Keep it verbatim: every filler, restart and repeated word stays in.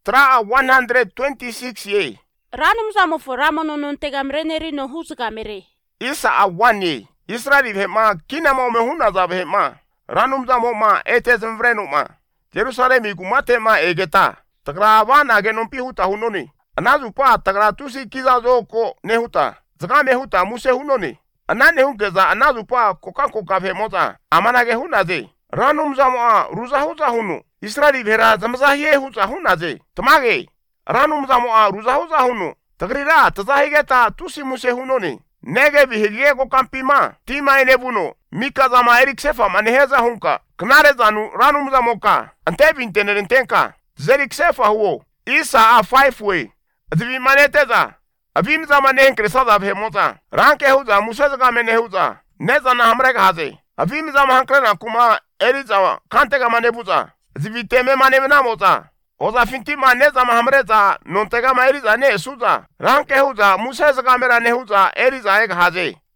Tra one hundred twenty-six ye. Ranum zamo for ramono non tegamreneri no husgamere. Isa a one ye. Israel hema kina mo me huna za hema. Ranum zamo ma etes mvrenu ma. Jerusalem igumate ma egeta. Tagra wana genon pi huta hunoni. Anazu pa tagra tusi kiza zoko nehuta. Zaka me huta muse hunoni. Anane hunkeza anazu pa koka koka femoza. Amana ge hunaze. Ranum zamo a ruza huza hunu. Israel vera zamza ye huza hunaze. Tamage. Ranum zamo a ruza huza hunu. Tagrira tazahigeta tusi muse hunoni. Nege bihige ko kampima. Tima enebuno. Mika zama erik sefa maneheza hunka. Knare zanu ranum zamoka. Ante bintenerentenka. Zerik sefa huo. Isa a five way. Azivi maneteza. Avim zama nenkre sada bhemoza. Ranke huza musazaga menehuza. Neza na hamrega haze. Avim zama hankrena kuma erizawa. Kantega manebuza. Azivi teme manevenamoza. Oza finti maneza mahamreza. Nontega ma eriza ne suza. Ranke huza musazaga mera nehuza. Eriza ega haze.